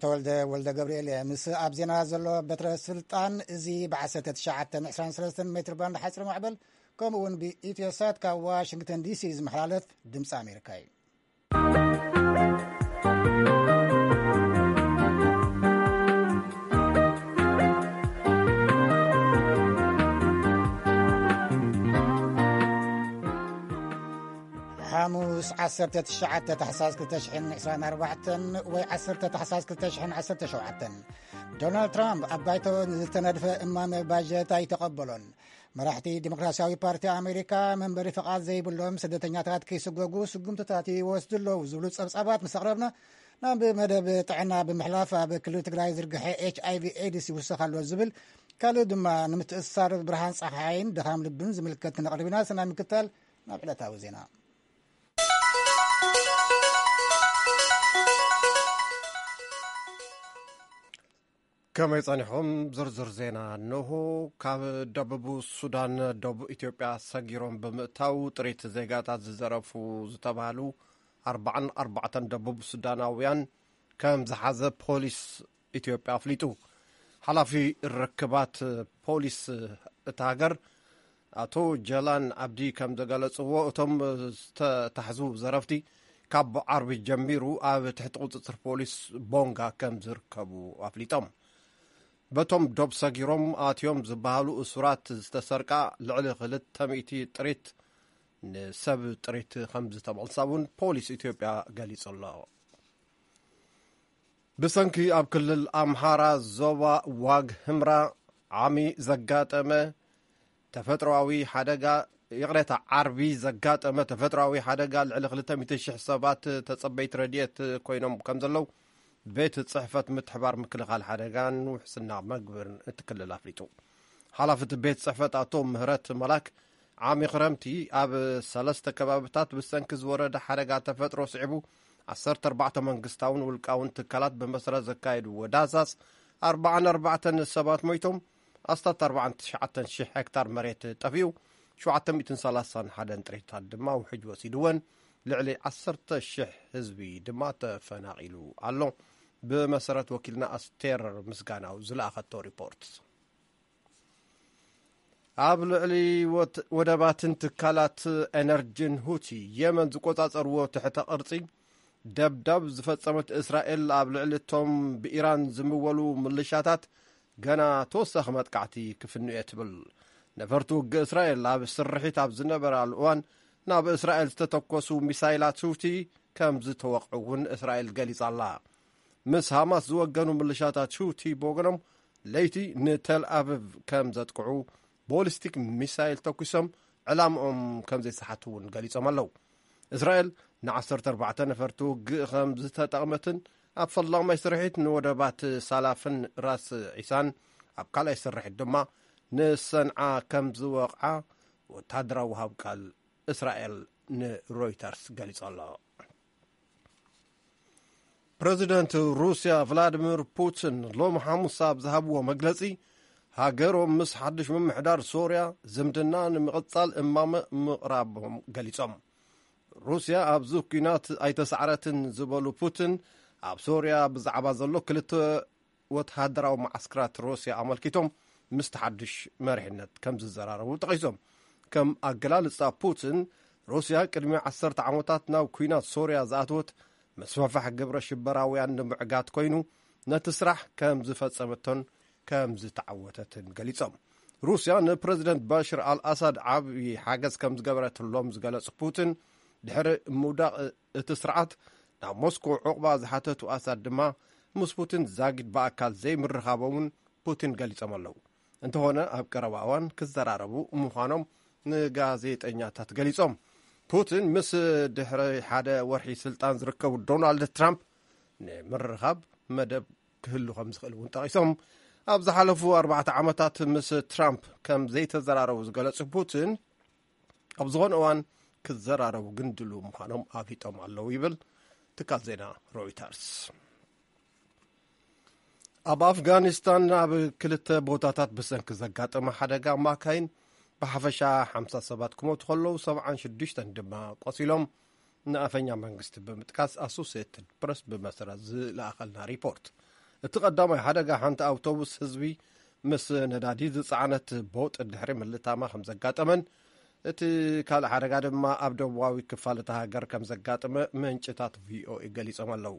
ተወልደ ወልደ ገብርኤል እየ። ምስ ኣብ ዜና ዘሎ በትረ ስልጣን፣ እዚ ብ1923 ሜትር ባንድ ሓፂር ማዕበል፣ ከምኡ እውን ብኢትዮሳት ካብ ዋሽንግተን ዲሲ ዝመሓላለፍ ድምፂ ኣሜሪካ እዩ። ሓሙስ 19 ታሕሳስ 2024 ወይ 10 ታሕሳስ 2017፣ ዶናልድ ትራምፕ ኣብ ባይቶ ዝተነድፈ እማመ ባጀት ኣይተቐበሎን። መራሕቲ ዲሞክራሲያዊ ፓርቲ ኣሜሪካ፣ መንበሪ ፍቓድ ዘይብሎም ስደተኛታት ከይስጎጉ ስጉምትታት ይወስዱ ኣለዉ ዝብሉ ጸብጻባት ምስ ኣቕረብና፣ ናብ መደብ ጥዕና ብምሕላፍ፣ ኣብ ክልል ትግራይ ዝርግሐ ኤች ኣይ ቪ ኤድስ ይውስኽ ኣሎ ዝብል፣ ካልእ ድማ ንምትእስሳር ብርሃን ጸሓይን ድኻም ልብን ዝምልከት ክነቕርብ ኢና። ሰናይ ምክታል። ናብ ዕለታዊ ዜና። ከመይ ጸኒሕኩም? ዝርዝር ዜና እንሆ። ካብ ደቡብ ሱዳን ደቡብ ኢትዮጵያ ሰጊሮም ብምእታው ጥሪት ዜጋታት ዝዘረፉ ዝተባህሉ ኣርባዓን ኣርባዕተን ደቡብ ሱዳናውያን ከም ዝሓዘ ፖሊስ ኢትዮጵያ ኣፍሊጡ። ሓላፊ ርክባት ፖሊስ እታ ሃገር ኣቶ ጀላን ኣብዲ ከም ዘገለጽዎ፣ እቶም ዝተታሕዙ ዘረፍቲ ካብ ዓርቢ ጀሚሩ ኣብ ትሕቲ ቁጽጽር ፖሊስ ቦንጋ ከም ዝርከቡ ኣፍሊጦም። በቶም ዶብ ሰጊሮም ኣትዮም ዝበሃሉ እሱራት ዝተሰርቃ ልዕሊ ክልተ ሚእቲ ጥሪት ንሰብ ጥሪት ከም ዝተመልሳ እውን ፖሊስ ኢትዮጵያ ገሊጹ ኣሎ። ብሰንኪ ኣብ ክልል ኣምሃራ ዞባ ዋግ ህምራ ዓሚ ዘጋጠመ ተፈጥሮኣዊ ሓደጋ፣ ይቕሬታ፣ ዓርቢ ዘጋጠመ ተፈጥሮኣዊ ሓደጋ ልዕሊ ክልተ ሚእቲ ሽሕ ሰባት ተጸበይቲ ረድኤት ኮይኖም ከም ዘለዉ ቤት ጽሕፈት ምትሕባር ምክልኻል ሓደጋን ውሕስና መግብን እቲ ክልል ኣፍሊጡ። ሓላፊ እቲ ቤት ጽሕፈት ኣቶ ምህረት መላክ፣ ዓሚ ክረምቲ ኣብ ሰለስተ ከባብታት ብሰንኪ ዝወረደ ሓደጋ ተፈጥሮ ስዒቡ ዓሰርተ ኣርባዕተ መንግስታውን ውልቃውን ትካላት ብመሰረት ዘካየድዎ ዳህሳስ ኣርባዓን ኣርባዕተን ሰባት ሞይቶም፣ ኣስታት ኣርባዓን ትሽዓተን ሽሕ ሄክታር መሬት ጠፊኡ፣ ሸውዓተ ሚእትን ሰላሳን ሓደን ጥሪታት ድማ ውሕጅ ወሲድወን፣ ልዕሊ ዓሰርተ ሽሕ ህዝቢ ድማ ተፈናቒሉ ኣሎ። ብመሰረት ወኪልና ኣስቴር ምስጋናው ዝለኣኸቶ ሪፖርት። ኣብ ልዕሊ ወት-፣ ወደባትን ትካላት ኤነርጂን ሁቲ የመን ዝቆጻጸርዎ ትሕተ ቅርጺ ደብዳብ ዝፈጸመት እስራኤል፣ ኣብ ልዕሊ እቶም ብኢራን ዝምወሉ ምልሻታት ገና ተወሳኺ መጥቃዕቲ ክፍንዩ እየ ትብል። ነፈርቲ ውግእ እስራኤል ኣብ ስርሒት ኣብ ዝነበራሉ እዋን ናብ እስራኤል ዝተተኮሱ ሚሳይላት ሁቲ ከም ዝተወቕዑ እውን እስራኤል ገሊጻ ኣላ። ምስ ሃማስ ዝወገኑ ምልሻታት ሁቲ ብወገኖም ለይቲ ንተል ኣቪቭ ከም ዘጥቅዑ፣ ቦሊስቲክ ሚሳይል ተኩሶም ዕላምኦም ከም ዘይሰሓቱ እውን ገሊጾም ኣለዉ። እስራኤል ንዓሰርተ ኣርባዕተ ነፈርቲ ውግእ ከም ዝተጠቕመትን ኣብ ፈላማይ ስርሒት ንወደባት ሳላፍን ራስ ዒሳን፣ ኣብ ካልኣይ ስርሒት ድማ ንሰንዓ ከም ዝወቕዓ ወተሃደራዊ ሃብ ቃል እስራኤል ንሮይተርስ ገሊጹ ኣሎ። ፕረዚደንት ሩስያ ቭላዲሚር ፑቲን ሎም ሓሙስ ኣብ ዝሃብዎ መግለጺ፣ ሃገሮም ምስ ሓድሽ ምምሕዳር ሶርያ ዝምድና ንምቕጻል እማመ ምቕራቦም ገሊጾም። ሩስያ ኣብዚ ኲናት ኣይተሳዕረትን ዝበሉ ፑቲን፣ ኣብ ሶርያ ብዛዕባ ዘሎ ክልተ ወተሃደራዊ መዓስከራት ሩስያ ኣመልኪቶም ምስቲ ሓድሽ መሪሕነት ከም ዝዘራረቡ ጠቒሶም። ከም ኣገላልጻ ፑቲን፣ ሩስያ ቅድሚ ዓሰርተ ዓመታት ናብ ኲናት ሶርያ ዝኣተወት መስፋፋሕ ግብረ ሽበራውያን ንምዕጋት ኮይኑ፣ ነቲ ስራሕ ከም ዝፈጸመቶን ከም ዝተዓወተትን ገሊጾም። ሩስያ ንፕረዚደንት ባሽር ኣልኣሳድ ዓብዪ ሓገዝ ከም ዝገበረትሎም ዝገለጹ ፑቲን፣ ድሕሪ ምውዳቕ እቲ ስርዓት ናብ ሞስኮ ዑቕባ ዝሓተቱ ኣሳድ ድማ ምስ ፑቲን ዛጊድ ብኣካል ዘይምርኻቦምን ፑቲን ገሊጾም ኣለዉ። እንተኾነ ኣብ ቀረባ እዋን ክዘራረቡ ምዃኖም ንጋዜጠኛታት ገሊጾም። ፑቲን ምስ ድሕሪ ሓደ ወርሒ ስልጣን ዝርከቡ ዶናልድ ትራምፕ ንምርኻብ መደብ ክህሉ ከም ዝኽእል እውን ጠቒሶም። ኣብ ዝሓለፉ ኣርባዕተ ዓመታት ምስ ትራምፕ ከም ዘይተዘራረቡ ዝገለጹ ፑቲን፣ ኣብ ዝኾነ እዋን ክዘራረቡ ግን ድሉው ምዃኖም ኣፍሊጦም ኣለዉ ይብል ትካል ዜና ሮይተርስ። ኣብ ኣፍጋኒስታን ኣብ ክልተ ቦታታት ብሰንኪ ዘጋጠመ ሓደጋ ማካይን ብሓፈሻ ሓምሳ ሰባት ክሞቱ ከለዉ፣ ሰብዓን ሽዱሽተን ድማ ቆሲሎም። ንኣፈኛ መንግስቲ ብምጥቃስ ኣሶሲየትድ ፕረስ ብመሰረት ዝለኣኸልና ሪፖርት፣ እቲ ቀዳማይ ሓደጋ ሓንቲ ኣውቶቡስ ህዝቢ ምስ ነዳዲ ዝጸዓነት ቦጥ ድሕሪ ምልታማ ከም ዘጋጠመን፣ እቲ ካልእ ሓደጋ ድማ ኣብ ደቡባዊ ክፋል እታ ሃገር ከም ዘጋጠመ ምንጭታት ቪኦኤ ገሊጾም ኣለዉ።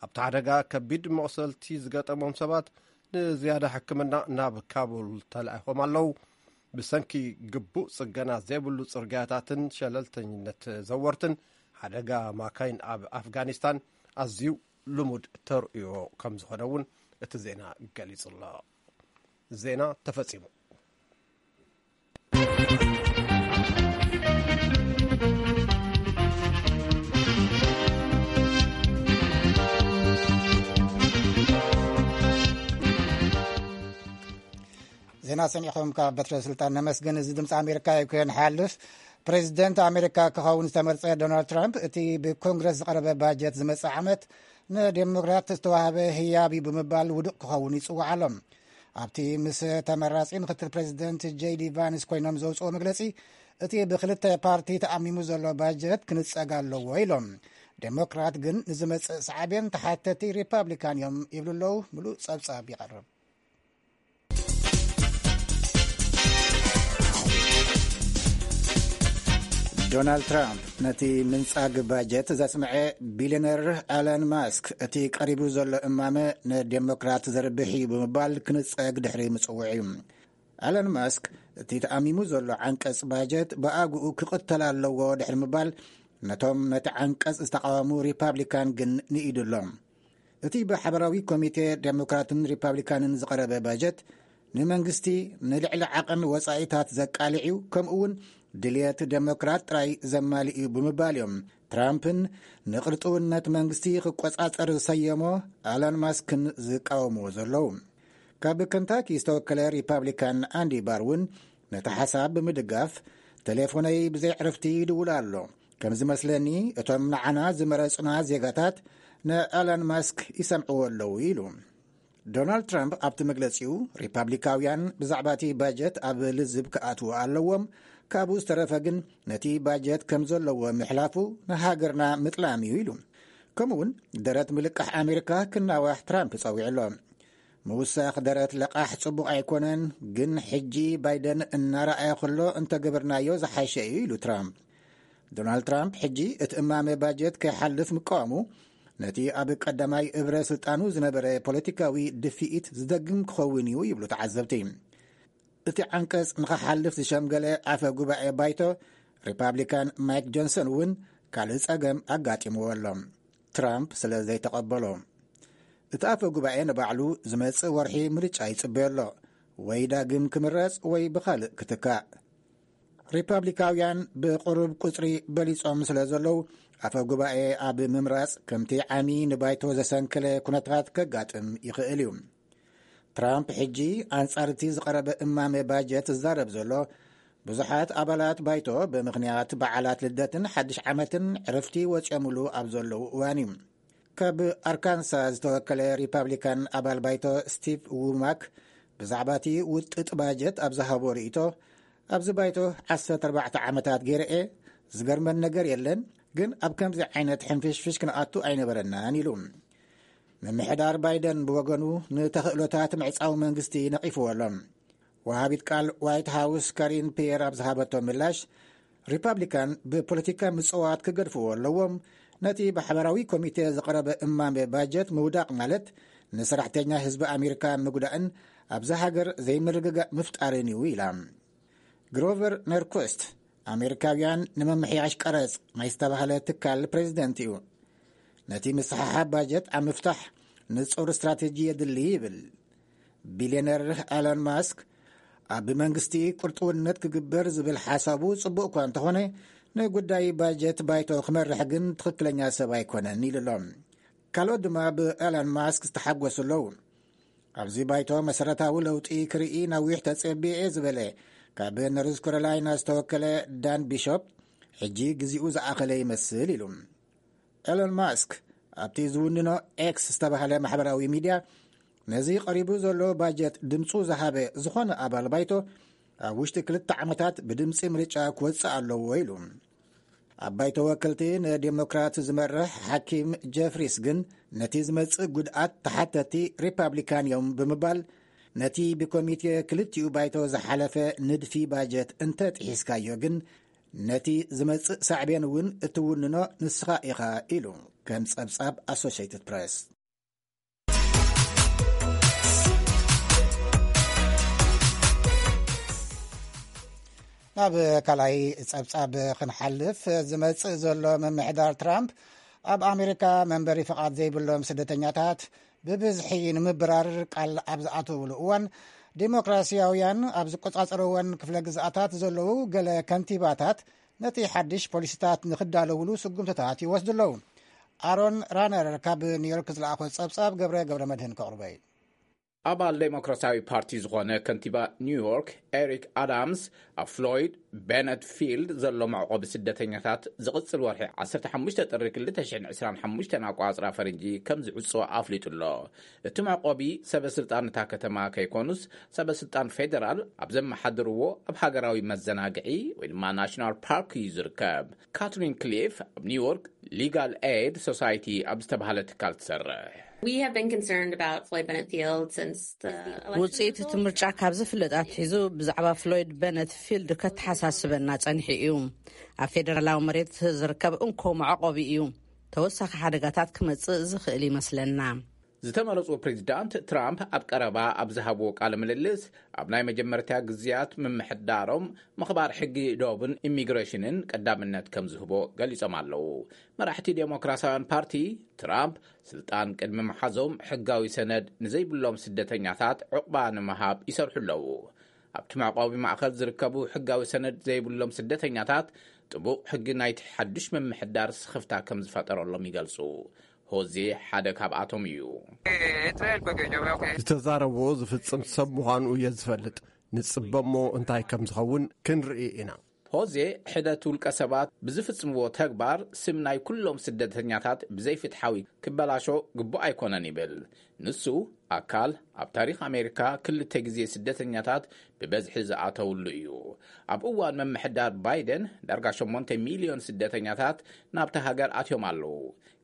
ኣብቲ ሓደጋ ከቢድ መቑሰልቲ ዝገጠሞም ሰባት ንዝያዳ ሕክምና ናብ ካቡል ተላኢኾም ኣለዉ። ብሰንኪ ግቡእ ጽገና ዘይብሉ ጽርግያታትን ሸለልተኝነት ዘወርትን፣ ሓደጋ ማካይን ኣብ ኣፍጋኒስታን ኣዝዩ ልሙድ ተርእዮ ከም ዝኾነ እውን እቲ ዜና ገሊጹ ኣሎ። ዜና ተፈጺሙ። ዜና ሰሚዕኹም ካብ በትረ ስልጣን ነመስግን። እዚ ድምፂ ኣሜሪካ እዩ። ክህን ሓልፍ ፕሬዚደንት ኣሜሪካ ክኸውን ዝተመርጸ ዶናልድ ትራምፕ፣ እቲ ብኮንግረስ ዝቐረበ ባጀት ዝመጽእ ዓመት ንዴሞክራት ዝተዋህበ ህያብ እዩ ብምባል ውዱቕ ክኸውን ይጽውዕ ኣሎ። ኣብቲ ምስ ተመራጺ ምክትል ፕሬዚደንት ጄዲ ቫንስ ኮይኖም ዘውፅኦ መግለጺ፣ እቲ ብክልተ ፓርቲ ተኣሚሙ ዘሎ ባጀት ክንጸግ ኣለዎ ኢሎም። ዴሞክራት ግን ንዝመጽእ ሳዕቤን ተሓተቲ ሪፓብሊካን እዮም ይብሉ ኣለዉ። ምሉእ ጸብጻብ ይቐርብ። ዶናልድ ትራምፕ ነቲ ምንጻግ ባጀት ዘስምዐ ቢልዮነር ኣለን ማስክ፣ እቲ ቀሪቡ ዘሎ እማመ ንዴሞክራት ዘርብሕ እዩ ብምባል ክንጸግ ድሕሪ ምጽውዕ እዩ። ኣለን ማስክ፣ እቲ ተኣሚሙ ዘሎ ዓንቀጽ ባጀት ብኣግኡ ክቕተል ኣለዎ ድሕሪ ምባል፣ ነቶም ነቲ ዓንቀጽ ዝተቓወሙ ሪፓብሊካን ግን ንኢዱ ኣሎ። እቲ ብሓበራዊ ኮሚቴ ዴሞክራትን ሪፓብሊካንን ዝቐረበ ባጀት ንመንግስቲ ንልዕሊ ዓቐን ወጻኢታት ዘቃልዕ እዩ፣ ከምኡ እውን ድልየት ዴሞክራት ጥራይ ዘማልእ እዩ ብምባል እዮም ትራምፕን ንቕርጥውነት መንግስቲ ክቆጻጸር ዝሰየሞ ኣላን ማስክን ዝቃወምዎ ዘለዉ። ካብ ከንታኪ ዝተወከለ ሪፓብሊካን ኣንዲ ባር እውን ነቲ ሓሳብ ብምድጋፍ፣ ቴሌፎነይ ብዘይ ዕርፍቲ ይድውል ኣሎ። ከም ዝመስለኒ፣ እቶም ንዓና ዝመረጹና ዜጋታት ንኣላን ማስክ ይሰምዕዎ ኣለዉ ኢሉ። ዶናልድ ትራምፕ ኣብቲ መግለጺኡ፣ ሪፓብሊካውያን ብዛዕባ እቲ ባጀት ኣብ ልዝብ ክኣትዉ ኣለዎም፣ ካብኡ ዝተረፈ ግን ነቲ ባጀት ከም ዘለዎ ምሕላፉ ንሃገርና ምጥላም እዩ ኢሉ። ከምኡውን ደረት ምልቃሕ ኣሜሪካ ክናዋሕ ትራምፕ ጸዊዑ ኣሎ። ምውሳኽ ደረት ለቓሕ ጽቡቕ ኣይኮነን፣ ግን ሕጂ ባይደን እናረኣየ ከሎ እንተገበርናዮ ዝሓሸ እዩ ኢሉ ትራምፕ። ዶናልድ ትራምፕ ሕጂ እቲ እማመ ባጀት ከይሓልፍ ምቃወሙ፣ ነቲ ኣብ ቀዳማይ እብረ ስልጣኑ ዝነበረ ፖለቲካዊ ድፍኢት ዝደግም ክኸውን እዩ ይብሉ ተዓዘብቲ። እቲ ዓንቀጽ ንኽሓልፍ ዝሸምገለ ኣፈ ጉባኤ ባይቶ ሪፓብሊካን ማይክ ጆንሰን እውን ካልእ ጸገም ኣጋጢምዎ ኣሎ፣ ትራምፕ ስለ ዘይተቐበሎ። እቲ ኣፈ ጉባኤ ንባዕሉ ዝመጽእ ወርሒ ምርጫ ይጽበዮ ኣሎ፣ ወይ ዳግም ክምረጽ ወይ ብኻልእ ክትካእ። ሪፓብሊካውያን ብቕሩብ ቁጽሪ በሊጾም ስለ ዘለዉ፣ ኣፈ ጉባኤ ኣብ ምምራጽ ከምቲ ዓሚ ንባይቶ ዘሰንከለ ኩነታት ከጋጥም ይኽእል እዩ። ትራምፕ ሕጂ ኣንጻር እቲ ዝቐረበ እማመ ባጀት ዝዛረብ ዘሎ፣ ብዙሓት ኣባላት ባይቶ ብምኽንያት በዓላት ልደትን ሓድሽ ዓመትን ዕረፍቲ ወጺኦምሉ ኣብ ዘለዉ እዋን እዩ። ካብ ኣርካንሳ ዝተወከለ ሪፓብሊካን ኣባል ባይቶ ስቲቭ ውማክ ብዛዕባ እቲ ውጥጥ ባጀት ኣብ ዝሃቦ ርእይቶ፣ ኣብዚ ባይቶ ዓሰርተ ኣርባዕተ ዓመታት ገይረ እየ፣ ዝገርመን ነገር የለን፣ ግን ኣብ ከምዚ ዓይነት ሕንፍሽፍሽ ክንኣቱ ኣይነበረናን ኢሉ። ምምሕዳር ባይደን ብወገኑ ንተኽእሎታት ምዕጻው መንግስቲ ነቒፍዎ ኣሎ። ወሃቢት ቃል ዋይት ሃውስ ካሪን ፒየር ኣብ ዝሃበቶ ምላሽ፣ ሪፓብሊካን ብፖለቲካ ምጽዋት ክገድፍዎ ኣለዎም፣ ነቲ ብሓበራዊ ኮሚቴ ዝቐረበ እማመ ባጀት ምውዳቕ ማለት ንሰራሕተኛ ህዝቢ ኣሜሪካ ምጉዳእን ኣብዛ ሃገር ዘይምርግጋእ ምፍጣርን እዩ ኢላ። ግሮቨር ነርኩስት፣ ኣሜሪካውያን ንምምሕያሽ ቀረጽ ናይ ዝተባህለ ትካል ፕሬዚደንት እዩ። ነቲ ምስሕሓብ ባጀት ኣብ ምፍታሕ ንጹር ስትራቴጂ የድሊ ይብል። ቢልዮነር ኣሎን ማስክ፣ ኣብ መንግስቲ ቁርጥውነት ክግበር ዝብል ሓሳቡ ጽቡቕ እኳ እንተኾነ፣ ንጉዳይ ባጀት ባይቶ ክመርሕ ግን ትኽክለኛ ሰብ ኣይኮነን ኢሉ ኣሎ። ካልኦት ድማ ብኣሎን ማስክ ዝተሓጎሱ ኣለዉ። ኣብዚ ባይቶ መሰረታዊ ለውጢ ክርኢ ነዊሕ ተጸቢየ እየ ዝበለ ካብ ኖርዝ ካሮላይና ዝተወከለ ዳን ቢሾፕ፣ ሕጂ ግዜኡ ዝኣኸለ ይመስል ኢሉ። ኤሎን ማስክ ኣብቲ ዝውንኖ ኤክስ ዝተባህለ ማሕበራዊ ሚድያ፣ ነዚ ቀሪቡ ዘሎ ባጀት ድምፁ ዝሃበ ዝኾነ ኣባል ባይቶ ኣብ ውሽጢ ክልተ ዓመታት ብድምፂ ምርጫ ክወፅእ ኣለዎ ኢሉ። ኣብ ባይቶ ወከልቲ ንዴሞክራት ዝመርሕ ሓኪም ጀፍሪስ ግን ነቲ ዝመጽእ ጉድኣት ተሓተቲ ሪፓብሊካን እዮም ብምባል፣ ነቲ ብኮሚቴ ክልቲኡ ባይቶ ዝሓለፈ ንድፊ ባጀት እንተ ጥሒስካዮ ግን ነቲ ዝመጽእ ሳዕቤን እውን እትውንኖ ንስኻ ኢኻ ኢሉ፣ ከም ጸብጻብ ኣሶሽየትድ ፕሬስ። ናብ ካልኣይ ጸብጻብ ክንሓልፍ፣ ዝመጽእ ዘሎ ምምሕዳር ትራምፕ ኣብ ኣሜሪካ መንበሪ ፍቓድ ዘይብሎም ስደተኛታት ብብዝሒ ንምብራር ቃል ኣብ ዝኣተውሉ እዋን፣ ዴሞክራሲያውያን ኣብ ዝቆጻጸርወን ክፍለ ግዝኣታት ዘለዉ ገለ ከንቲባታት ነቲ ሓድሽ ፖሊሲታት ንኽዳለውሉ ስጉምትታት ይወስዱ ኣለዉ። ኣሮን ራነር ካብ ኒውዮርክ ዝለኣኾ ጸብጻብ ገብረ ገብረ መድህን ከቕርበ እዩ። ኣባል ዴሞክራሲያዊ ፓርቲ ዝኾነ ከንቲባ ኒውዮርክ ኤሪክ ኣዳምስ፣ ኣብ ፍሎይድ ቤነት ፊልድ ዘሎ መዕቆቢ ስደተኛታት ዝቕጽል ወርሒ ዓሰርተ ሓሙሽተ ጥሪ ክልተ ሽሕን ዕስራን ሓሙሽተን ኣቋጽራ ፈረንጂ ከም ዝዕጾ ኣፍሊጡ ኣሎ። እቲ መዕቆቢ ሰበ ስልጣን እታ ከተማ ከይኮኑስ፣ ሰበ ስልጣን ፌደራል ኣብ ዘመሓድርዎ ኣብ ሃገራዊ መዘናግዒ ወይ ድማ ናሽናል ፓርክ እዩ ዝርከብ። ካትሪን ክሊፍ ኣብ ኒውዮርክ ሊጋል ኤድ ሶሳይቲ ኣብ ዝተባህለ ትካል ትሰርሕ። We have been concerned about Floyd Bennett Field since the election ውፅኢት እቲ ምርጫ ካብ ዝፍለጥ ኣትሒዙ ብዛዕባ ፍሎይድ በነት ፊልድ ከተሓሳስበና ጸኒሑ እዩ። ኣብ ፌደራላዊ መሬት ዝርከብ እንኮ መዕቆቢ እዩ። ተወሳኺ ሓደጋታት ክመጽእ ዝኽእል ይመስለና። ዝተመረጹ ፕሬዚዳንት ትራምፕ ኣብ ቀረባ ኣብ ዝሃብዎ ቃለ ምልልስ፣ ኣብ ናይ መጀመርታ ግዝያት ምምሕዳሮም ምኽባር ሕጊ ዶብን ኢሚግሬሽንን ቀዳምነት ከም ዝህቦ ገሊጾም ኣለዉ። መራሕቲ ዴሞክራሲያውያን ፓርቲ፣ ትራምፕ ስልጣን ቅድሚ ምሓዞም ሕጋዊ ሰነድ ንዘይብሎም ስደተኛታት ዕቑባ ንምሃብ ይሰርሑ ኣለዉ። ኣብቲ መዕቆቢ ማእከል ዝርከቡ ሕጋዊ ሰነድ ዘይብሎም ስደተኛታት ጥቡቕ ሕጊ ናይቲ ሓድሽ ምምሕዳር ስኽፍታ ከም ዝፈጠረሎም ይገልጹ። ሆዜ ሓደ ካብኣቶም እዩ። ዝተዛረቦ ዝፍጽም ሰብ ምዃኑ እየ ዝፈልጥ። ንጽበ እሞ እንታይ ከም ዝኸውን ክንርኢ ኢና። ሆዜ፣ ሕደት ውልቀ ሰባት ብዝፍጽምዎ ተግባር ስም ናይ ኩሎም ስደተኛታት ብዘይፍትሓዊ ክበላሾ ግቡእ ኣይኮነን ይብል። ንሱ፣ ኣካል ኣብ ታሪኽ ኣሜሪካ ክልተ ግዜ ስደተኛታት ብበዝሒ ዝኣተውሉ እዩ። ኣብ እዋን ምምሕዳር ባይደን ዳርጋ ሸሞንተ ሚልዮን ስደተኛታት ናብታ ሃገር ኣትዮም ኣለዉ።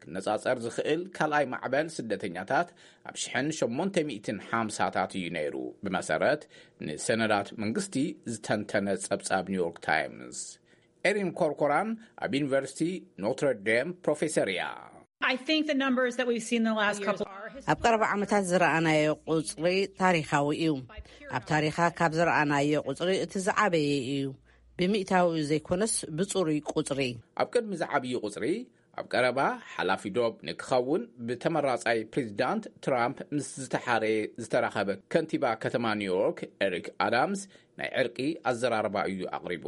ክነጻጸር ዝኽእል ካልኣይ ማዕበል ስደተኛታት ኣብ ሽሕን ሸሞንተ ሚእትን ሓምሳታት እዩ ነይሩ፣ ብመሰረት ንሰነዳት መንግስቲ ዝተንተነ ጸብጻብ ኒውዮርክ ታይምስ። ኤሪን ኮርኮራን ኣብ ዩኒቨርሲቲ ኖትረ ዴም ፕሮፌሰር እያ። I think the numbers that we've seen in the last couple are ኣብ ቀረባ ዓመታት ዝረኣናዮ ቁጽሪ ታሪኻዊ እዩ። ኣብ ታሪኻ ካብ ዝረኣናዮ ቁጽሪ እቲ ዝዓበየ እዩ። ብሚእታዊ ዘይኮነስ ብጽሩይ ቁጽሪ። ኣብ ቅድሚ ዝዓብዩ ቁጽሪ፣ ኣብ ቀረባ ሓላፊ ዶብ ንክኸውን ብተመራጻይ ፕሬዚዳንት ትራምፕ ምስ ዝተሓረየ ዝተራኸበ ከንቲባ ከተማ ኒውዮርክ ኤሪክ ኣዳምስ ናይ ዕርቂ ኣዘራርባ እዩ ኣቕሪቡ።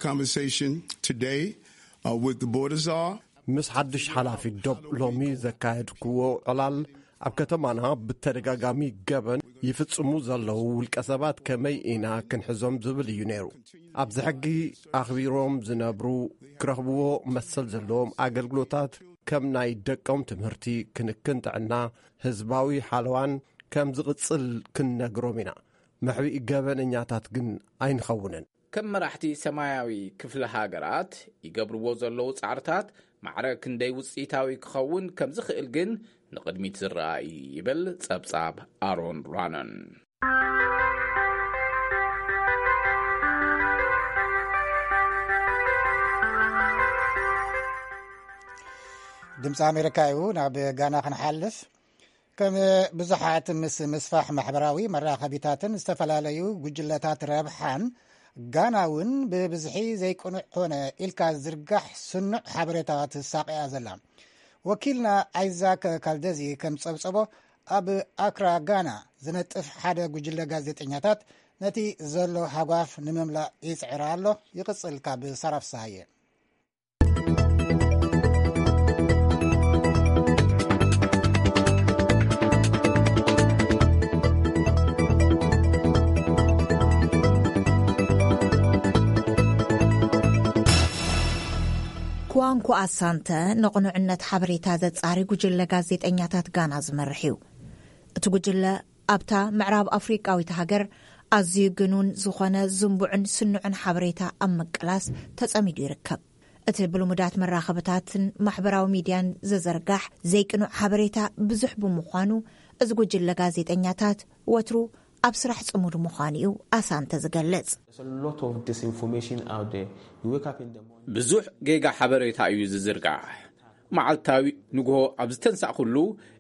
Conversation today uh, with the border czar. ምስ ሓድሽ ሓላፊ ዶብ ሎሚ ዘካየድክዎ ዕላል፣ ኣብ ከተማና ብተደጋጋሚ ገበን ይፍጽሙ ዘለዉ ውልቀ ሰባት ከመይ ኢና ክንሕዞም ዝብል እዩ ነይሩ። ኣብዚ ሕጊ ኣኽቢሮም ዝነብሩ ክረኽብዎ መሰል ዘለዎም ኣገልግሎታት ከም ናይ ደቆም ትምህርቲ፣ ክንክን ጥዕና፣ ህዝባዊ ሓለዋን ከም ዝቕጽል ክንነግሮም ኢና። መሕብኢ ገበነኛታት ግን ኣይንኸውንን። ከም መራሕቲ ሰማያዊ ክፍለ ሃገራት ይገብርዎ ዘለዉ ጻዕርታት ማዕረ ክንደይ ውጽኢታዊ ክኸውን ከም ዝኽእል ግን ንቕድሚት ዝረኣ እዩ ይብል ጸብጻብ ኣሮን ራነን። ድምፂ ኣሜሪካ እዩ። ናብ ጋና ክንሓልፍ። ከም ብዙሓት ምስ ምስፋሕ ማሕበራዊ መራኸቢታትን ዝተፈላለዩ ጉጅለታት ረብሓን፣ ጋና እውን ብብዝሒ ዘይቅኑዕ ኮነ ኢልካ ዝርጋሕ ስኑዕ ሓበሬታ ትሳቐያ ዘላ። ወኪልና ኣይዛክ ካልደዚ ከም ጸብጸቦ፣ ኣብ ኣክራ ጋና ዝነጥፍ ሓደ ጉጅለ ጋዜጠኛታት ነቲ ዘሎ ሃጓፍ ንምምላእ ይጽዕር ኣሎ። ይቕጽል ካብ ሳራ ፍስሃየ። ኩዋንኩ ኣሳንተ ንቕኑዕነት ሓበሬታ ዘጻሪ ጉጅለ ጋዜጠኛታት ጋና ዝመርሕ እዩ። እቲ ጉጅለ ኣብታ ምዕራብ ኣፍሪቃዊት ሃገር ኣዝዩ ግኑን ዝኾነ ዝንቡዕን ስኑዕን ሓበሬታ ኣብ ምቅላስ ተጸሚዱ ይርከብ። እቲ ብልሙዳት መራኸብታትን ማሕበራዊ ሚድያን ዝዝርጋሕ ዘይቅኑዕ ሓበሬታ ብዙሕ ብምዃኑ፣ እዚ ጉጅለ ጋዜጠኛታት ወትሩ ኣብ ስራሕ ጽሙድ ምዃኑ እዩ ኣሳንተ ዝገልጽ። There's a lot of disinformation out there. You wake up in the morning. ብዙሕ ጌጋ ሓበሬታ እዩ ዝዝርጋሕ። መዓልታዊ ንግሆ ኣብ ዝተንሳእኩሉ፣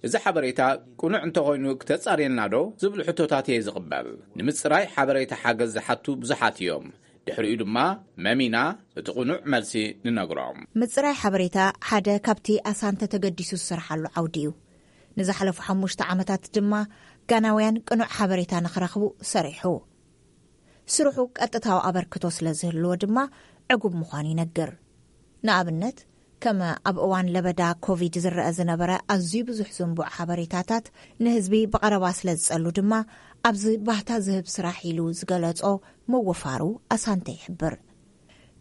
እዚ ሓበሬታ ቅኑዕ እንተኾይኑ ክተጻርየልና ዶ ዝብሉ ሕቶታት እየ ዝቕበል። ንምጽራይ ሓበሬታ ሓገዝ ዝሓቱ ብዙሓት እዮም። ድሕሪኡ ድማ መሚና እቲ ቅኑዕ መልሲ ንነግሮም። ምጽራይ ሓበሬታ ሓደ ካብቲ ኣሳንተ ተገዲሱ ዝሰርሓሉ ዓውዲ እዩ። ንዝሓለፉ ሓሙሽተ ዓመታት ድማ ጋናውያን ቅኑዕ ሓበሬታ ንኽረኽቡ ሰሪሑ። ስርሑ ቀጥታዊ ኣበርክቶ ስለ ዝህልዎ ድማ ዕጉብ ምዃኑ ይነግር። ንኣብነት፣ ከም ኣብ እዋን ለበዳ ኮቪድ ዝረአ ዝነበረ ኣዝዩ ብዙሕ ዝንቡዕ ሓበሬታታት ንህዝቢ ብቐረባ ስለ ዝጸሉ ድማ ኣብዚ ባህታ ዝህብ ስራሕ ኢሉ ዝገለጾ ምውፋሩ ኣሳንተ ይሕብር።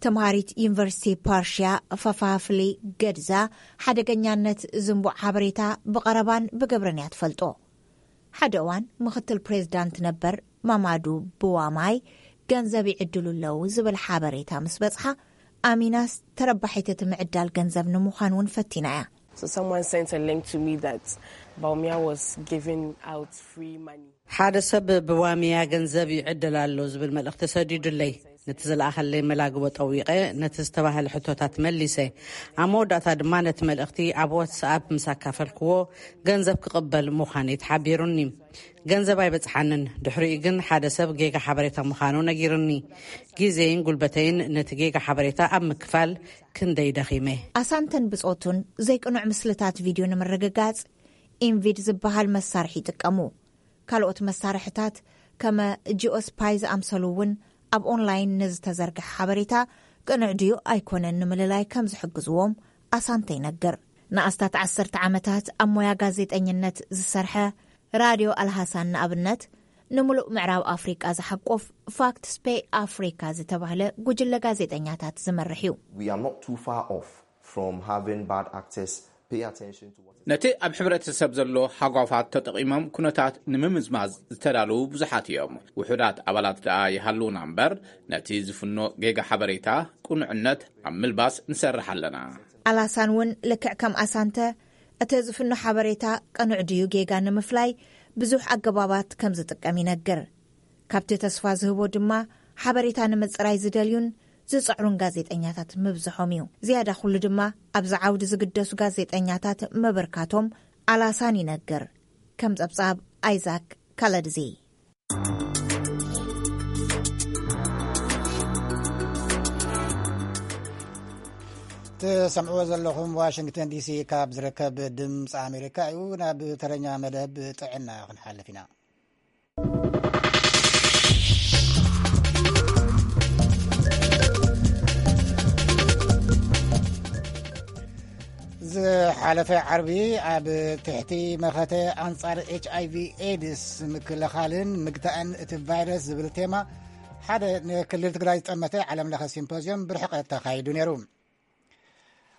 ተምሃሪት ዩኒቨርሲቲ ፓርሽያ ፋፋፍሊ ገድዛ ሓደገኛነት ዝንቡዕ ሓበሬታ ብቐረባን ብግብርን እያ ትፈልጦ። ሓደ እዋን ምኽትል ፕሬዝዳንት ነበር ማማዱ ብዋማይ ገንዘብ ይዕድሉ ኣለዉ ዝብል ሓበሬታ ምስ በጽሓ፣ ኣሚናስ ተረባሒት እቲ ምዕዳል ገንዘብ ንምዃን እውን ፈቲና እያ። So someone sent a link to me that Baumia was giving out free money. ሓደ ሰብ ብዋሚያ ገንዘብ ይዕደል ኣሎ ዝብል መልእኽቲ ሰዲዱለይ። ነቲ ዝለኣኸለይ መላግቦ ጠዊቐ ነቲ ዝተባህለ ሕቶታት መሊሰ። ኣብ መወዳእታ ድማ ነቲ መልእኽቲ ኣብ ዋትስኣፕ ምስ ኣካፈልክዎ ገንዘብ ክቕበል ምዃነይ ተሓቢሩኒ። ገንዘብ ኣይበጽሓንን። ድሕሪኡ ግን ሓደ ሰብ ጌጋ ሓበሬታ ምዃኑ ነጊሩኒ። ግዜይን ጉልበተይን ነቲ ጌጋ ሓበሬታ ኣብ ምክፋል ክንደይ ደኺመ። ኣሳንተን ብጾቱን ዘይቅኑዕ ምስልታት ቪድዮ ንምርግጋጽ ኢንቪድ ዝበሃል መሳርሒ ይጥቀሙ። ካልኦት መሳርሕታት ከመ ጂኦስፓይ ዝኣምሰሉ እውን ኣብ ኦንላይን ንዝተዘርግሐ ሓበሬታ ቅኑዕ ድዩ ኣይኮነን ንምልላይ ከም ዝሕግዝዎም ኣሳንተ ይነግር። ንኣስታት ዓሰርተ ዓመታት ኣብ ሞያ ጋዜጠኝነት ዝሰርሐ ራድዮ ኣልሃሳን ንኣብነት፣ ንምሉእ ምዕራብ ኣፍሪቃ ዝሓቁፍ ፋክትስ ፔይ ኣፍሪካ ዝተባህለ ጉጅለ ጋዜጠኛታት ዝመርሕ እዩ። We are not too far off from having bad actors pay attention to what is ነቲ ኣብ ሕብረተሰብ ዘሎ ሃጓፋት ተጠቒሞም ኩነታት ንምምዝማዝ ዝተዳለዉ ብዙሓት እዮም። ውሑዳት ኣባላት ደኣ ይሃልዉና እምበር፣ ነቲ ዝፍኖ ጌጋ ሓበሬታ ቅኑዕነት ኣብ ምልባስ ንሰርሕ ኣለና። ኣላሳን እውን ልክዕ ከም ኣሳንተ እቲ ዝፍኖ ሓበሬታ ቅኑዕ ድዩ ጌጋ ንምፍላይ ብዙሕ ኣገባባት ከም ዝጥቀም ይነግር። ካብቲ ተስፋ ዝህቦ ድማ ሓበሬታ ንምጽራይ ዝደልዩን ዝጽዕሩን ጋዜጠኛታት ምብዝሖም እዩ። ዝያዳ ኩሉ ድማ ኣብዚ ዓውዲ ዝግደሱ ጋዜጠኛታት ምብርካቶም ኣላሳን ይነግር። ከም ጸብጻብ ኣይዛክ ካለድዚ። ትሰምዕዎ ዘለኹም ዋሽንግተን ዲሲ ካብ ዝርከብ ድምፂ ኣሜሪካ እዩ። ናብ ተረኛ መደብ ጥዕና ክንሓልፍ ኢና። ዝሓለፈ ዓርቢ ኣብ ትሕቲ መኸተ ኣንጻር ኤች ኣይቪ ኤድስ ምክልኻልን ምግታእን እቲ ቫይረስ ዝብል ቴማ ሓደ ንክልል ትግራይ ዝጠመተ ዓለም ለኸ ሲምፖዝዮም ብርሕቀት ተኻይዱ ነይሩ።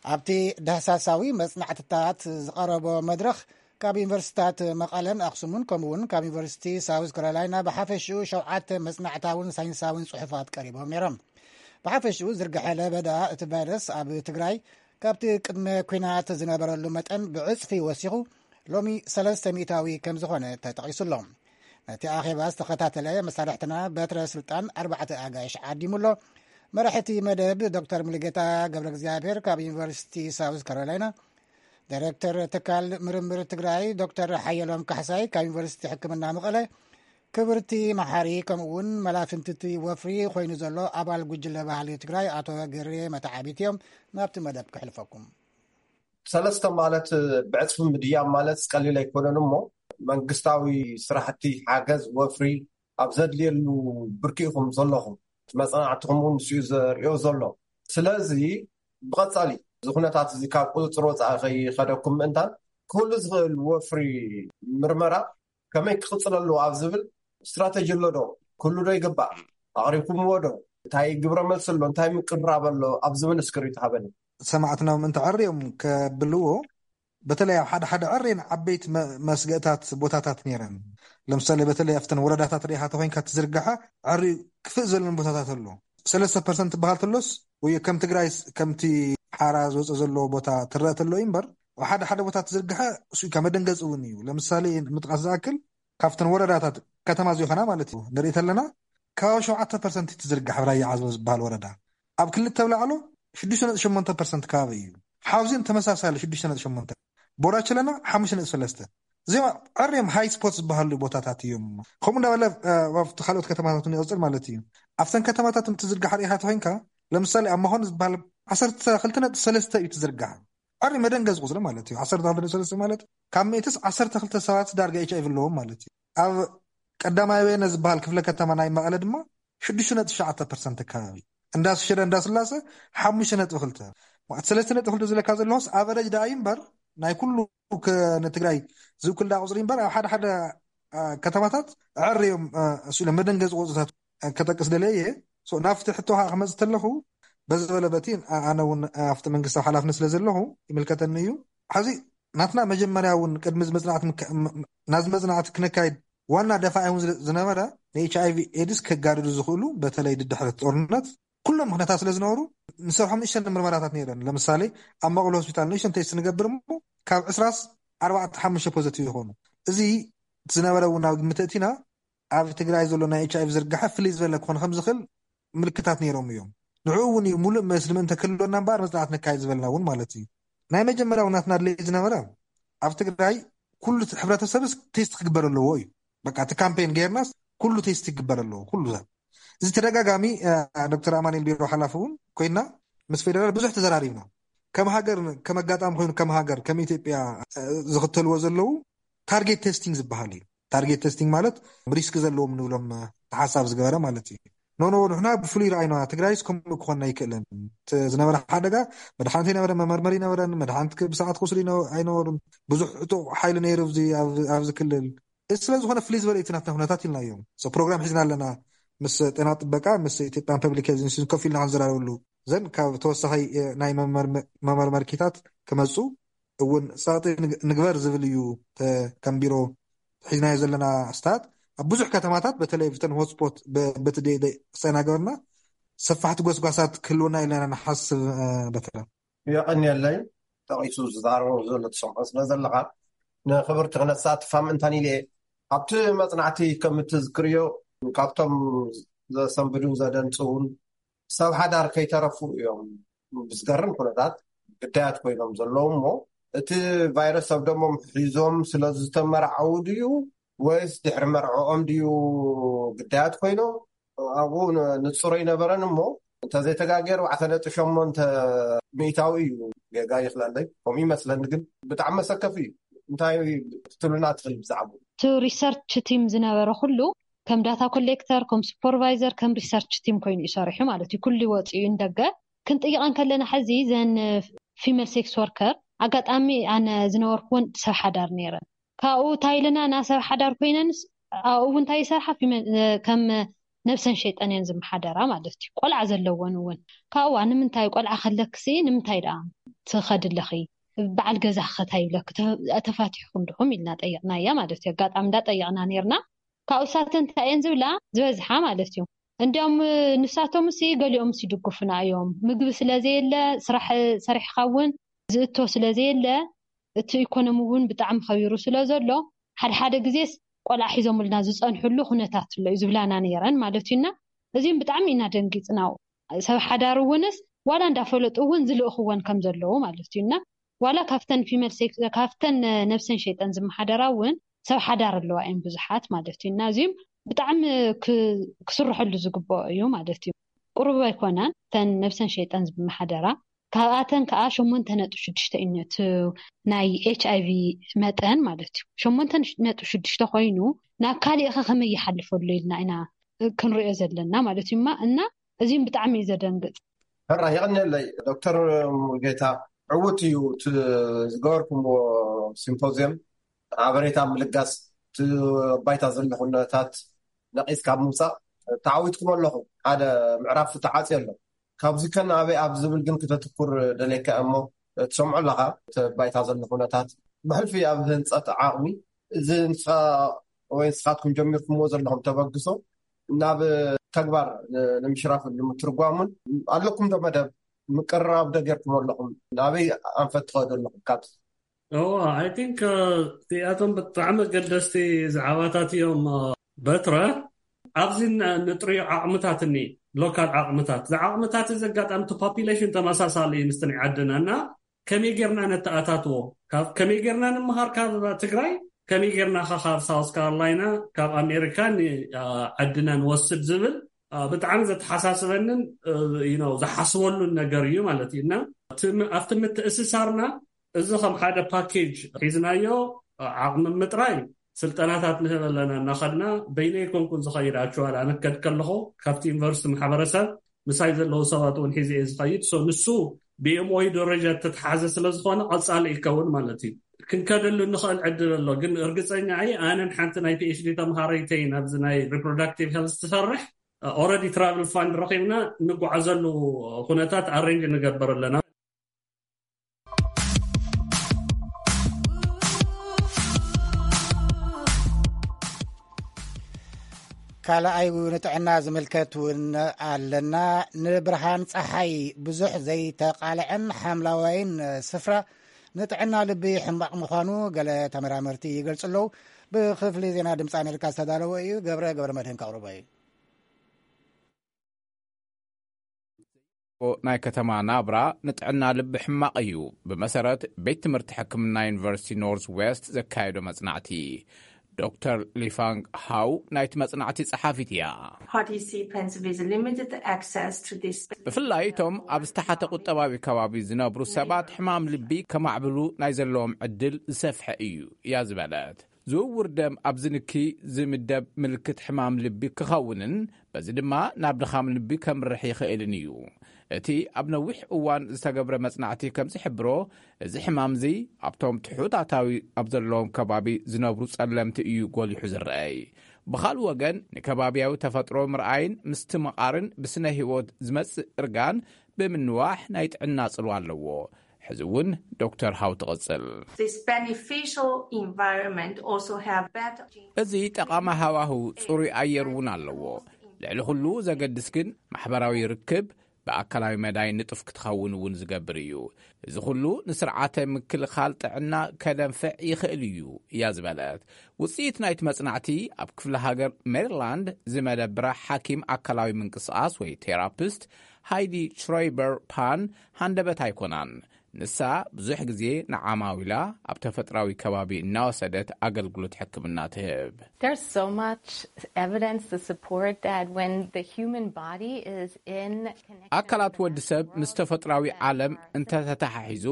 ኣብቲ ዳህሳሳዊ መጽናዕትታት ዝቐረቦ መድረኽ ካብ ዩኒቨርሲቲታት መቐለን ኣኽሱምን ከምኡውን ካብ ዩኒቨርሲቲ ሳውዝ ካሮላይና ብሓፈሽኡ ሸውዓተ መጽናዕታውን ሳይንሳውን ጽሑፋት ቀሪቦም ነይሮም። ብሓፈሽኡ ዝርግሐ ለበዳ እቲ ቫይረስ ኣብ ትግራይ ካብቲ ቅድመ ኲናት ዝነበረሉ መጠን ብዕጽፊ ወሲኹ ሎሚ ሰለስተ ሚእታዊ ከም ዝኾነ ተጠቒሱ ኣሎ። ነቲ ኣኼባ ዝተኸታተለ መሳርሕትና በትረ ስልጣን ኣርባዕተ ኣጋይሽ ዓዲሙ ኣሎ። መራሕቲ መደብ ዶክተር ሙሉጌታ ገብረ እግዚኣብሔር ካብ ዩኒቨርሲቲ ሳውዝ ካሮላይና፣ ዳይሬክተር ትካል ምርምር ትግራይ ዶክተር ሓየሎም ካሕሳይ ካብ ዩኒቨርሲቲ ሕክምና መቐለ፣ ክብርቲ መሓሪ ከምኡ እውን መላፍንትቲ ወፍሪ ኮይኑ ዘሎ ኣባል ጉጅለ ባህሊ ትግራይ ኣቶ ገሬ መተዓቢት እዮም። ናብቲ መደብ ክሕልፈኩም። ሰለስተ ማለት ብዕፅፊ ምድያብ ማለት ቀሊል ኣይኮነን እሞ መንግስታዊ ስራሕቲ ሓገዝ ወፍሪ ኣብ ዘድልየሉ ብርኪ ኢኹም ዘለኹም። መፅናዕትኹም እውን ንሱ እዩ ዘርእዮ ዘሎ። ስለዚ ብቐፃሊ እዚ ኩነታት እዚ ካብ ቁፅፅር ወፃኢ ከይኸደኩም ምእንታን ክህሉ ዝኽእል ወፍሪ ምርመራ ከመይ ክቕፅል ኣለዎ ኣብ ዝብል ስትራተጂ ኣሎ ዶ? ክህሉ ዶ ይግባእ? ኣቕሪብኩምዎ ዶ? እንታይ ግብረ መልሲ ኣሎ? እንታይ ምቅርራብ ኣሎ? ኣብ ዝብል እስክሪብቶ ሃበኒ። ሰማዕትና እውን እንተዐርዮም ከብልዎ በተለይ ኣብ ሓደ ሓደ ዕሬን ዓበይቲ መስገእታት ቦታታት ነይረን። ለምሳሌ በተለይ ኣብተን ወረዳታት ርኢኻ ተኮይንካ ትዝርግሐ ዕሪ ክፍእ ዘለን ቦታታት ኣሎ። ሰለስተ ፐርሰንት ትበሃል ተሎስ ወይ ከም ትግራይ ከምቲ ሓራ ዝወፀ ዘለዎ ቦታ ትረአ ተሎ እዩ እምበር፣ ኣብ ሓደ ሓደ ቦታ ትዝርግሐ እሱ ካብ መደንገፂ እውን እዩ። ለምሳሌ ምጥቃስ ዝኣክል ካብተን ወረዳታት ከተማ ዝኾና ማለት እዩ ንርኢ ተለና፣ ከባቢ ሸውዓተ ፐርሰንት ትዝርጋሕ ኣብ ራያ ዓዘቦ ዝበሃል ወረዳ። ኣብ ክልተ ብላዕሎ ሽዱሽተ ነጥቢ ሸሞንተ ፐርሰንት ከባቢ እዩ። ሓውዜን ተመሳሳሊ ሽዱሽተ ነጥቢ ሸሞንተ፣ ቦራቸለና ሓሙሽተ ነጥቢ ሰለስተ። እዚኦም ዕርዮም ሃይ ስፖት ዝበሃሉ ቦታታት እዮም። ከምኡ እንዳበለ ኣብቲ ካልኦት ከተማታት ንቅፅል ማለት እዩ። ኣብተን ከተማታት እንትዝርጋሕ ርኢኻ ተኮይንካ፣ ለምሳሌ ኣብ መኾኒ ዝበሃል ዓሰርተ ክልተ ነጥቢ ሰለስተ እዩ ትዝርጋሕ። ዕሪ መደንገዝ ቁፅሪ ማለት እዩ። ዓሰርተ ክልተ ነጥቢ ሰለስተ ማለት ካብ ሚእትስ ዓሰርተ ክልተ ሰባት ዳርጋ ኤች ኣይቪ ኣለዎም ማለት እዩ። ኣብ ቀዳማይ ወየነ ዝበሃል ክፍለ ከተማ ናይ መቐለ ድማ ሽዱሽተ ነጥቢ ትሽዓተ ፐርሰንት ኣካባቢ፣ እንዳ ሽረ እንዳ ስላሰ ሓሙሽተ ነጥቢ ክልተ፣ ማለት ሰለስተ ነጥቢ ክልተ ዝለካ ዘለዎስ ኣቨረጅ ደኣ እዩ እምበር ናይ ኩሉ ከ-፣ ንትግራይ ዝውክል ደኣ ቁፅሪ እምበር ኣብ ሓደ ሓደ አ፣ ከተማታት ዕር እዮም። አ፣ እሱ ኢለ መደንገፂ ቁፅርታት ከጠቅስ ደለየ እየ። ሶ፣ ናብቲ ሕቶ ከዓ ክመፅእ ተለኹ፣ በዚ በለ በቲ አ-፣ ኣነ እውን ኣብቲ መንግስታዊ ሓላፍነት ስለ ዘለኹ ይምልከተኒ እዩ። ሕዚ ናትና መጀመርያ እውን ቅድሚ እዚ መፅናዕቲ ምካ-፣ ም-፣ ም-፣ ናዚ መፅናዕቲ ክነካይድ ዋና ደፋኢ እውን ዝለ-፣ ዝነበረ ንኤች ኣይቪ ኤድስ ከጋድዱ ዝኽእሉ፣ በተለይ ድድሕሪ ጦርነት ኩሎም ምኽንያታት ስለ ዝነበሩ ንሰርሖም ንእሽተን ምርመራታት ነይረን። ለምሳሌ ኣብ መቐለ ሆስፒታል ንእሽተን ቴስት ንገብር እሞ ካብ ዕስራስ ኣርባዕተ ሓሙሽተ ፖዘቲቭ ይኾኑ። እዚ ዝነበረ እውን ናብ ግምት እቲና ኣብ ትግራይ ዘሎ ናይ ኤች ኣይቪ ዝርጋሐ ፍልይ ዝበለ ክኾን ከም ዝኽእል ምልክታት ነይሮም እዮም። ንዕኡ እውን እዩ ሙሉእ መስሊ ምእንተ ክህልወና እምበኣር መፅናዕት ነካይድ ዝበልና እውን ማለት እዩ። ናይ መጀመርያ እውን ናትና ድሌት ዝነበረ ኣብ ትግራይ ኩሉ እቲ ሕብረተሰብስ ቴስት ክግበር ኣለዎ እዩ። በቃ እቲ ካምፔን ጌርናስ ኩሉ ቴስት ክግበር ኣለዎ ኩሉ ሰብ። እዚ ተደጋጋሚ እ፣ ዶክተር ኣማኑኤል ቢሮ ሓላፊ እውን ኮይና ምስ ፌደራል ብዙሕ ተዘራሪብና። ከም ሃገር ከም ኣጋጣሚ ኮይኑ ከም ሃገር ከም ኢትዮጵያ እ፣ ዝኽተልዎ ዘለዉ ታርጌት ቴስቲንግ ዝበሃል እዩ። ታርጌት ቴስቲንግ ማለት ሪስክ ዘለዎም ንብሎም እ፣ ተሓሳብ ዝገበረ ማለት እዩ። ኖ ኖ ንሕና ብፍሉይ ረኣይና ትግራይስ ከምኡ ክኾን ኣይክእልን። እቲ ዝነበረ ሓደጋ መድሓንቲ ነበረ መመርመሪ ነበረን መድሓንቲ ብሰዓት ክወስዱ ኣይነ- ኣይነበሩን። ብዙሕ ዕጡቕ ሓይሊ ነይሩ ኣብዚ ኣብ- ኣብዚ ክልል። እዚ ስለ ዝኾነ ፍልይ ዝበለ እቲ ናትና ኩነታት ኢልናዮም። ሶ ፕሮግራም ሒዝና ኣለና ምስ ጤና ጥበቃ ምስ ኢትዮጵያን ፐብሊክ ሄልዝ ኢንስቲትዩት ኮፍ ኢልና ክንዘራረበሉ ዘን ካብ ተወሳኺ እ፣ ናይ መመርመ- መመርመርኪታት ክመፁ እውን ፀቕጢ ንግ- ንግበር ዝብል እዩ። ተ- ከም ቢሮ ሒዝናዮ ዘለና ስታት ኣብ ብዙሕ ከተማታት በተለይ ብተን ሆትስፖት በ- በቲ ደይ ደይ ሰናገርና ሰፋሕቲ ጎስጓሳት ክህልወና ኢልና ንሓስብ። እ፣ በተለ የቐንየለይ። ጠቒሱ ዝዛረቦ ዘሎ ትሰምዖ ስለ ዘለኻ ንክብርቲ ክነሳትፋ ምእንታን ኢለ እየ። ኣብቲ መፅናዕቲ ከም እትዝክርዮ ካብቶም ዘሰንብዱን ዘደንፅውን ሰብ ሓዳር ከይተረፉ እዮም ብዝገርም ኩነታት ግዳያት ኮይኖም ዘለዉ እሞ እቲ ቫይረስ ኣብ ደሞም ሒዞም ስለ ዝተመርዓዉ ድዩ ወይስ ድሕሪ መርዕኦም ድዩ ግዳያት ኮይኖም ኣብኡ ን- ንፁር ኣይነበረን እሞ እንተዘይተጋገየ ኣርባዕተ ነጥቢ ሸሞንተ ሚእታዊ እዩ ጌጋ ይኽላለይ ከምኡ ይመስለኒ ግን ብጣዕሚ መሰከፊ እዩ እንታይ ክትብሉና ትኽእል ብዛዕባ እቲ ሪሰርች ቲም ዝነበረ ኩሉ ከም ዳታ ኮሌክተር ከም ሱፐርቫይዘር ከም ሪሰርች ቲም ኮይኑ እዩ ሰሪሑ ማለት እዩ ኩሉ ወፂኡ ንደገ ክንጥይቐን ከለና ሕዚ ዘን ፊመል ሴክስ ወርከር ኣጋጣሚ ኣነ ዝነበርኩውን ሰብ ሓዳር ነይረን ካብኡ እንታይ ኢልና ና ሰብ ሓዳር ኮይነንስ ኣብኡ እውን እንታይ ይሰርሓ ፊመል ከም ነብሰን ሸይጠን እየን ዝመሓደራ ማለት እዩ ቆልዓ ዘለወን እውን ካብኡ ንምንታይ ቆልዓ ከለክሲ ንምንታይ ደኣ ትኸድ ኣለኺ በዓል ገዛ ክኸታ ይብለክ ተፋቲሕኩም ድኹም ኢልና ጠይቕናያ ማለት እዩ ኣጋጣሚ እንዳጠይቕና ነርና ካብኡ ሳተን እንታይ እየን ዝብላ ዝበዝሓ ማለት እዩ እንዲያውም ንሳቶም ሲ ገሊኦም ሲ ድግፉና እዮም ምግቢ ስለ ዘየለ ስራሕ ሰሪሕካ እውን ዝእቶ ስለ ዘየለ እቲ ኢኮኖሚ እውን ብጣዕሚ ከቢሩ ስለ ዘሎ ሓደ ሓደ ግዜስ ቆልዓ ሒዞምልና ዝፀንሕሉ ኩነታት ኣሎ እዩ ዝብላና ነይረን ማለት እዩና እዚም ብጣዕሚ ኢና ደንጊፅናው ሰብ ሓዳር እውንስ ዋላ እንዳፈለጡ እውን ዝልእኽወን ከም ዘለዉ ማለት እዩና ዋላ ካብተን ፊመል ሴክስ ካብተን ነብሰን ሸይጠን ዝመሓደራ እውን ሰብ ሓዳር ኣለዋ እየን ብዙሓት ማለት እዩና እዚም ብጣዕሚ ክስርሐሉ ዝግብኦ እዩ ማለት እዩ ቁሩብ ኣይኮናን ተን ነብሰን ሸይጠን ዝመሓደራ ካብኣተን ከዓ ሸሞንተ ነጥቢ ሽዱሽተ እዩ እቲ ናይ ኤች ኣይቪ መጠን ማለት እዩ ሸሞንተ ነጥቢ ሽዱሽተ ኮይኑ ናብ ካሊእ ከ ከመይ ይሓልፈሉ ኢልና ኢና ክንሪኦ ዘለና ማለት እዩ እና እዚም ብጣዕሚ እዩ ዘደንግጥ ሕራ የቐንየለይ ዶክተር ሙሉጌታ ዕውት እዩ እቲ ዝገበርኩምዎ ሲምፖዚየም ሓበሬታ ምልጋስ እቲ ባይታ ዘሎ ኩነታት ነቒስካ ምውፃእ ተዓዊትኩም ኣለኹም ሓደ ምዕራፍ ተዓፅዮ ኣሎ ካብዚ ከ ናበይ ኣብ ዝብል ግን ክተትኩር ደልየካ እሞ ትሰምዖ ኣለኻ እቲ ባይታ ዘሎ ኩነታት ብሕልፊ ኣብ ህንፀት ዓቕሚ እዚ ንስኻ ወይ ንስኻትኩም ጀሚርኩምዎ ዘለኹም ተበግሶ ናብ ተግባር ንምሽራፍ ንምትርጓሙን ኣለኩም ዶ መደብ ምቅርራብ ዶ ጌርኩም ኣለኹም? ናበይ ኣንፈት ትኸዱ ኣለኹም? ካብ እዎ፣ I think እዚኣቶም ብጣዕሚ ኣገደስቲ ዛዕባታት እዮም። በትረ ኣብዚ ንጥሪዮ ዓቕምታት እኒ ሎካል ዓቕምታት ዝዓቕምታት እዚ ኣጋጣሚ ፖፑሌሽን ተመሳሳሊ እዩ ምስቲ ናይ ዓድና እና ከመይ ጌርና ነተኣታትዎ፣ ከመይ ጌርና ንምሃር ካብ ትግራይ፣ ከመይ ጌርና ካብ ሳውስ ካሮላይና፣ ካብ ኣሜሪካ ዓድና ንወስድ ዝብል ብጣዕሚ ዘተሓሳስበንን ዝሓስበሉን ነገር እዩ ማለት እዩ እና ኣብቲ ምትእስሳርና እዚ ከም ሓደ ፓኬጅ ሒዝናዮ ዓቕሚ ምጥራይ ስልጠናታት ንህብ ኣለና እናኸድና በይነይ ኮንኩን ዝኸይድ ኣክዋል ኣነከድ ከለኹ ካብቲ ዩኒቨርሲቲ ማሕበረሰብ ምሳይ ዘለዉ ሰባት እውን ሒዘ እየ ዝኸይድ። ንሱ ብኤምኦዩ ደረጃ ተተሓዘ ስለዝኾነ ቀፃሊ ይከውን ማለት እዩ። ክንከደሉ ንኽእል ዕድል ኣሎ፣ ግን እርግፀኛ እየ ኣነን ሓንቲ ናይ ፒኤችዲ ተምሃረይተይ ናብዚ ናይ ሪፕሮዳክቲቭ ሄልስ ትሰርሕ ኦረዲ ትራቭል ፋንድ ረኺብና ንጓዓዘሉ ኩነታት ኣሬንጅ ንገብር ኣለና። ካልኣይ ንጥዕና ዝምልከት እውን ኣለና። ንብርሃን ፀሓይ ብዙሕ ዘይተቃልዐን ሓምላዋይን ስፍራ ንጥዕና ልቢ ሕማቕ ምዃኑ ገለ ተመራመርቲ ይገልጹ ኣለዉ። ብክፍሊ ዜና ድምፂ ኣሜሪካ ዝተዳለወ እዩ። ገብረ ገብረ መድህን ከቕርቦ እዩ። ናይ ከተማ ናብራ ንጥዕና ልቢ ሕማቕ እዩ። ብመሰረት ቤት ትምህርቲ ሕክምና ዩኒቨርሲቲ ኖርዝ ዌስት ዘካየዶ መጽናዕቲ፣ ዶክተር ሊፋንግ ሃው ናይቲ መጽናዕቲ ጸሓፊት እያ። Participants with limited access to this ብፍላይ እቶም ኣብ ዝተሓተ ቁጠባዊ ከባቢ ዝነብሩ ሰባት ሕማም ልቢ ከማዕብሉ ናይ ዘለዎም ዕድል ዝሰፍሐ እዩ እያ ዝበለት። ዝውውር ደም ኣብ ዝንኪ ዝምደብ ምልክት ሕማም ልቢ ክኸውንን በዚ ድማ ናብ ድኻም ልቢ ከምርሕ ይኽእልን እዩ። እቲ ኣብ ነዊሕ እዋን ዝተገብረ መጽናዕቲ ከም ዝሕብሮ፣ እዚ ሕማም እዚ ኣብቶም ትሑት ኣታዊ ኣብ ዘለዎም ከባቢ ዝነብሩ ጸለምቲ እዩ ጎሊሑ ዝረኣይ። ብኻልእ ወገን፣ ንከባብያዊ ተፈጥሮ ምርኣይን ምስትምቓርን ብስነ ህይወት ዝመጽእ እርጋን ብምንዋሕ ናይ ጥዕና ጽልዋ ኣለዎ። ሕዚ እውን ዶክተር ሃው ትቕጽል። This beneficial environment also have better እዚ ጠቓሚ ሃዋህው ጽሩይ ኣየር እውን ኣለዎ። ልዕሊ ኩሉ ዘገድስ ግን ማሕበራዊ ርክብ ብኣካላዊ መዳይ ንጡፍ ክትኸውን እውን ዝገብር እዩ። እዚ ኩሉ ንስርዓተ ምክልኻል ጥዕና ከደንፍዕ ይኽእል እዩ እያ ዝበለት። ውፅኢት ናይቲ መጽናዕቲ ኣብ ክፍለ ሃገር ሜሪላንድ ዝመደብራ ሓኪም ኣካላዊ ምንቅስቓስ ወይ ቴራፒስት ሃይዲ ሽሮይበር ፓን ሃንደበት ኣይኮናን። ንሳ ብዙሕ ግዜ ንዓማዊላ ኣብ ተፈጥራዊ ከባቢ እናወሰደት ኣገልግሎት ሕክምና ትህብ። There's so much evidence to support that when the human body is in ኣካላት ወዲ ሰብ ምስ ተፈጥራዊ ዓለም እንተተተሓሒዙ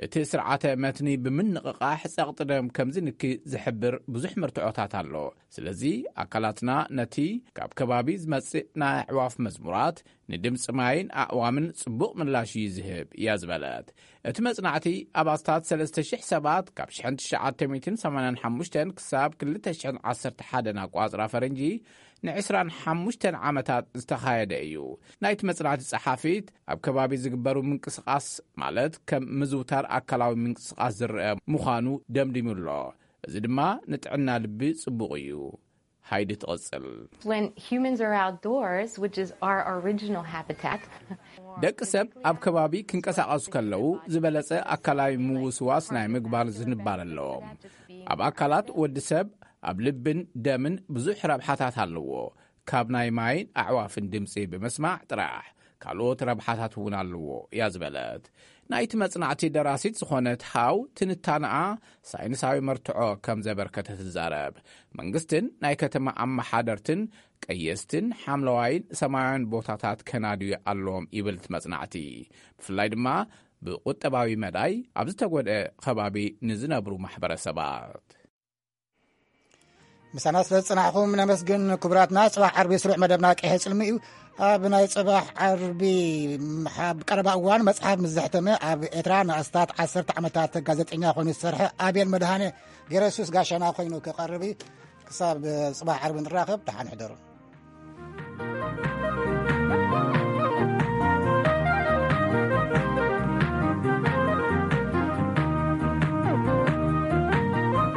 እቲ ስርዓተ መትኒ ብምንቕቓሕ ጸቕጢ ደም ከም ዝንኪ ዝሕብር ብዙሕ መርትዖታት ኣሎ። ስለዚ ኣካላትና ነቲ ካብ ከባቢ ዝመጽእ ናይ ኣዕዋፍ መዝሙራት ንድምፂ ማይን ኣእዋምን ጽቡቕ ምላሽ እዩ ዝህብ እያ ዝበለት። እቲ መጽናዕቲ ኣብ ኣስታት ሰለስተ ሽሕ ሰባት ካብ ሸሕን ትሽዓተ ሚእትን ሰማንያን ሓሙሽተን ክሳብ ክልተ ሽሕን ዓሰርተ ሓደን ኣቋጽራ ፈረንጂ ን ዕስራን ሓሙሽተን ዓመታት ዝተኻየደ እዩ። ናይቲ መጽናዕቲ ጸሓፊት ኣብ ከባቢ ዝግበሩ ምንቅስቓስ ማለት ከም ምዝውታር ኣካላዊ ምንቅስቓስ ዝረአ ምዃኑ ደምዲሙ ኣሎ። እዚ ድማ ንጥዕና ልቢ ጽቡቕ እዩ። ሃይዲ ትቕጽል። When humans are outdoors, which is our original habitat, ደቂ ሰብ ኣብ ከባቢ ክንቀሳቐሱ ከለዉ ዝበለጸ ኣካላዊ ምውስዋስ ናይ ምግባር ዝንባር ኣለዎም። ኣብ ኣካላት ወዲ ሰብ ኣብ ልብን ደምን ብዙሕ ረብሓታት ኣለዎ። ካብ ናይ ማይን ኣዕዋፍን ድምፂ ብምስማዕ ጥራሕ ካልኦት ረብሓታት እውን ኣለዎ እያ ዝበለት። ናይቲ መጽናዕቲ ደራሲት ዝኾነት ሃው ትንታነኣ ሳይንሳዊ መርትዖ ከም ዘበርከተ ትዛረብ። መንግስትን ናይ ከተማ ኣመሓደርትን ቀየስትን ሓምለዋይን ሰማያውያን ቦታታት ከናድዩ ኣለዎም ይብል እቲ መጽናዕቲ። ብፍላይ ድማ ብቁጠባዊ መዳይ ኣብ ዝተጎድአ ከባቢ ንዝነብሩ ማሕበረሰባት። ምሳና ስለ ዝጽናሕኹም ነመስግን። ክቡራትና፣ ጽባሕ ዓርቢ ስሩዕ መደብና ቀይሐ ጽልሚ እዩ። ኣብ ናይ ጽባሕ ዓርቢ ኣብ ቀረባ እዋን መጽሓፍ ምስ ዘሕተመ ኣብ ኤርትራ ንኣስታት ዓሰርተ ዓመታት ጋዜጠኛ ኮይኑ ዝሰርሐ ኣቤል መድሃኔ ገረሱስ ጋሻና ኮይኑ ክቐርብ እዩ። ክሳብ ጽባሕ ዓርቢ ንራኸብ፣ ደሓን ሕደሩ።